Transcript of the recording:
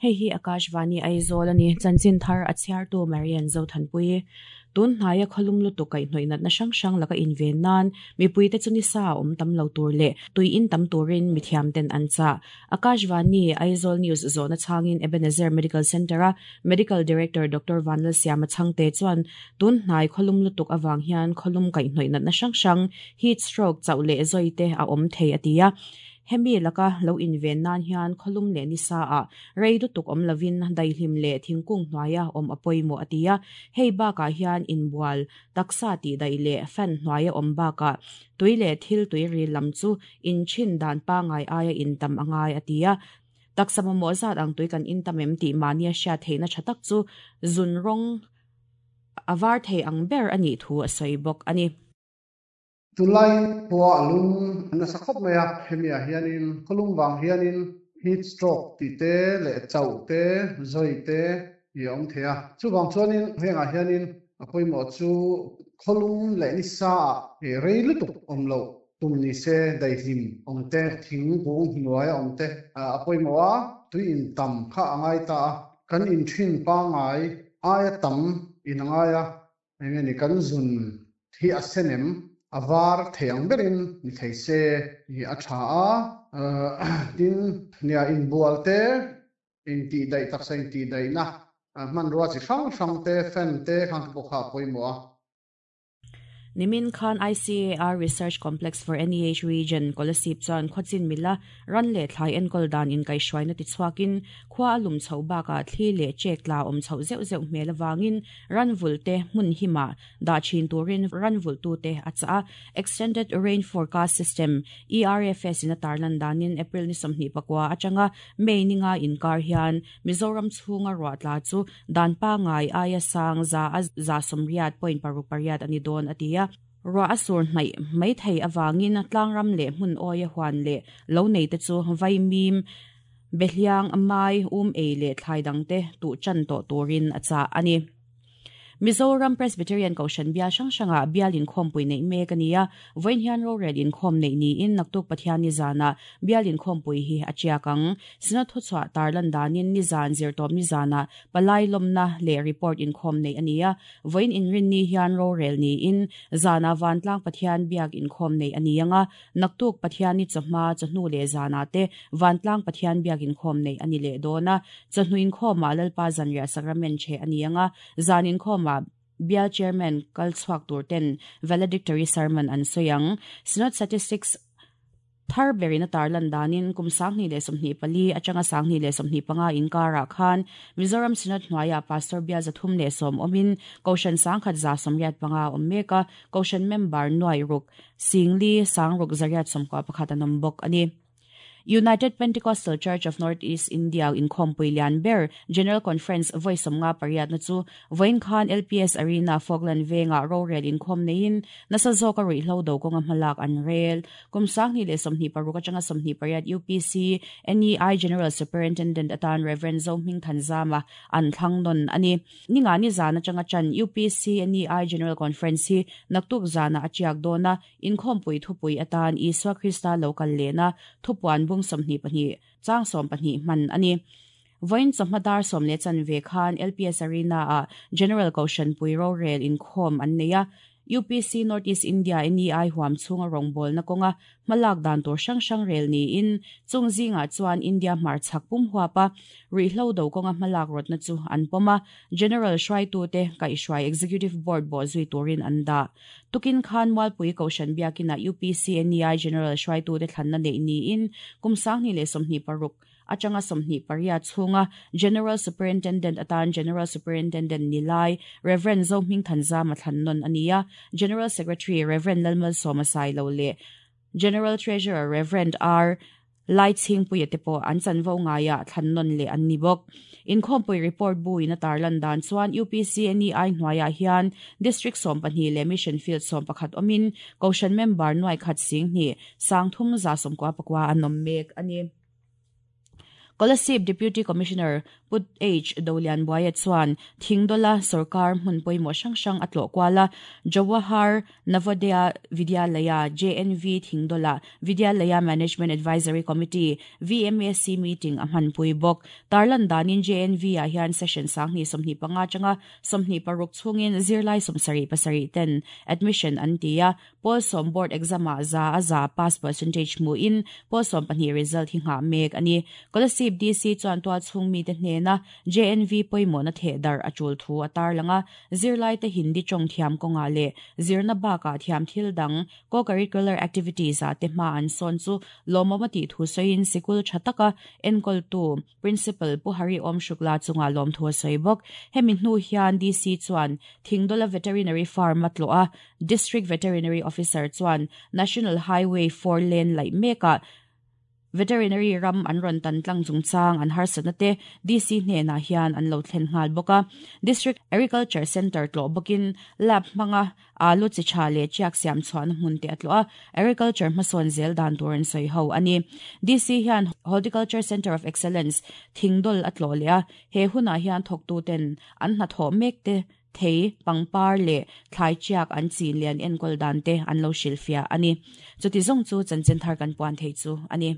Hei hi Akashvani Aizawl a ni. Chanchin thar a chhiartu Marian Zothanpuii. Tun hnaia khawlum lutuk kaihhnawih natna hrang hrang laka inven nan mipuite chu nisa a awm tam lo tur leh tui in tam turin mithiam ten an chah. Akashvani Aizawl News zawhna chhangin Ebenezer Medical Centre-a Medical Director Doctor Vanlalsiama Chhangte chuan tun hnai khawlum lutuk avang hian khawlum kaihhnawih natna hrang hrang, heat stroke, chauh leh zawi te a awm thei a ti a. Hemi laka lo inven nan hian khawlum leh nisa ah rei lutuk awm lovin daihlim leh thingkung hnuaia awm a pawimawh a ti a. Hei bakah hian inbual, taksa tihdaih leh fan hnuaia awm bakah tui leh thil tui ril lam chu inchhin dan pangngai aia intam a ngai a ti a. Taksa mamawh zat ang tui kan intam em tih mahnia hriat theihna tha tak chu zun rawng a var thei ang ber a nih thu a sawi bawk a ni. Tunlai khua a lum nasa khawp mai a, hemi ah hianin khawlum vang hianin heat stroke tih te leh chauh te, zawi te hi a awm thei a. Chuvang chuanin hengah hianin a pawimawh chu khawlum leh nisa ah rei lutuk awm loh tum ni se daihlim awm te, thing kung hnuai a awm te a pawimawh a, tui in tam kha a ngai ta a, kan inthin pangngai aia tam in a ngai a, Eng nge ni kan zun hi a sen em? A var thei ang berin ni thei se hi a tha a. Tin, nia inbual te, intihdaih taksa intihdaihna hmanrua chi hrang hrang te, fan te khang te pawh kha a pawimawh a. Nimin khan ICAR Research Complex for NEH Region, Kolasib chuan khawchin mila Ran leh thlai enkawl dan inkaihhruaina tichhuakin khua a lum chhoh bakah thli leh chek tla awm chhoh zeuh zeuh hmel avangin ran vulhte hmun himah dah thin turin ran vulhtute a chah a. Extended Rain Forecast System, ERFS, in a tarlan danin April ni 24 atanga May ni nga inkar hian Mizoram chhunga ruah tla chu dan pangngai aia sang za a 80.68 a ni dawn a ti a. Ruah a sur hnaih mai thei avangin tlangram leh hmun awia huan leh lo neite chu vaimim, behliang, mai, um ei leh thlai dangte tuh chan tawh turin a chah a ni. Mizoram Presbyterian Kohhran bial hrang hrangah bial inkhawmpui neih mek a ni a, vawiin hian rorel inkhawm neih niin naktuk Pathianni zanah bial inkhawmpui hi a tiak ang. Synod thuchhuah tarlan danin nizan zirtawp nizanah palai lawmna leh report inkhawm neih a ni a, Vawiin inrinni hian rorel niin zanah Vantlang Pathian biak inkhawm neih a ni ang a, naktuk Pathianni chawhma, chawhnu leh zanah te Vantlang Pathian biak inkhawm neih a ni leh dawn a. Chawhnu inkhawmah Lalpa Zanriah Sacrament cheh a ni ang a, zan inkhawmah Bial Chairman kal chhuak tur ten Valedictory Sermon an sawi ang. Synod Statistics. Thar berin a tarlan danin kum 2024 atanga 2025 inkarah khan Mizoram Synod hnuaiah Pastor bial 310 awmin Kohhran 1185 a awm mek a, Kohhran member nuai ruk singli sangruk zariat 91 an awm bawk a ni. United Pentecostal Church of North East India inkhawmpui lian ber General Conference vawi 58 na chu Vawiin khan LPS Arena Falkland vengah rorel inkhawm neiin nasa zawka ruihhlo do kawnga hmalak an rel. Kum 2026 atanga 28 UPC NEI General Superintendent atan Rev. Zohming Thanzama an thlang nawn a ni. Ninga ni zan atanga tan UPC NEI General Conference hi naktuk zanah a tiak dawn a, inkhawmpui thupui atan Isua Krista lo kal lehna thupuan bung 22 chang 12 hman a ni. Vawiin chawhma dar 10:15 khan LPS Arena-ah General Kohhranpui rorel inkhawm an nei a. UPC North East India NEI huam chhunga rawngbawlna kawnga hmalak dan tur hrang hrang rel niin chung zingah chuan India hmarchhak pum huapa ruihhlo do kawnga hmalak rawtna chu an pawm a, General hruaitute kaihhruai Executive Board bawhzui turin an dah. Tukin khan Mualpui Kohhran Biakinah UPC NEI General hruaitute thlanna neih niin kum 2026 atanga 28 chhunga General Superintendent atan General Superintendent ni lai Rev. Zohming Thanzama thlan nawn a ni a, General Secretary Rev. Lalmalsawma Sailo leh General Treasurer Rev. R. Laichhingpuia te pawh an chanvo ngaiah thlan nawn leh an ni bawk. Inkhawmpui report buin a tarlan dan chuan UPC NEI hnuaiah hian District 12 leh Mission Field 11 awmin Kohhran member nuaikhat sing hnih 3,399 an awm mek a ni. Kolasib Deputy Commissioner Pu H Dolianbuaia chuan Thingdawla sorkar hmun pawimawh hrang hrang a tlawh kual a, Jawahar Navodaya Vidyalaya, JNV, Thingdawla Vidyalaya Management Advisory Committee, VMAC, meeting a hmanpui bawk. Tarlan danin JNV ah hian session 2025 atanga 26 chhungin zirlai 77 ten admission an ti a, Pawl sawm board exam ah za a za pass percentage hmuhin pawl 12 result hi nghah mek a ni. Kolasib DC chuan tualchhung mite hnena JNV pawimawhna theh darh a tul thu a tarlang a, zirlaite Hindi tawng thiam kawngah leh zirna bakah thiam thil dang co-curricular activities ah te hma an sawn chu lawmawm a tih thu sawiin sikul tha taka enkawltu Principal Pu Hari Om Shukla chungah lawmthu a sawi bawk. Hemi hnu hian DC chuan Thingdawla Veterinary Farm a tlawh a, District Veterinary Officer chuan National Highway 4 lane laih mekah Veterinary ram an rawn tan tlang chungchang an harsatna te DC hnenah hian an lo thlen nghal bawk a. District Agriculture Centre tlawh bawkin lab hmanga alu chi tha leh chiak siam chhuahna hmun te a tlawh a, agriculture hmasawn zel dan tur an sawi ho a ni. DC hian Horticulture Centre of Excellence Thingdawl a tlawh leh a, he hunah hian thawktuten an hnathawh mek te thei, pangpar leh thlai chiak an chin leh an enkawl dan te an lo hrilhfiah a ni. Chuti zawng chu chanchin thar kan puan thei chu a ni.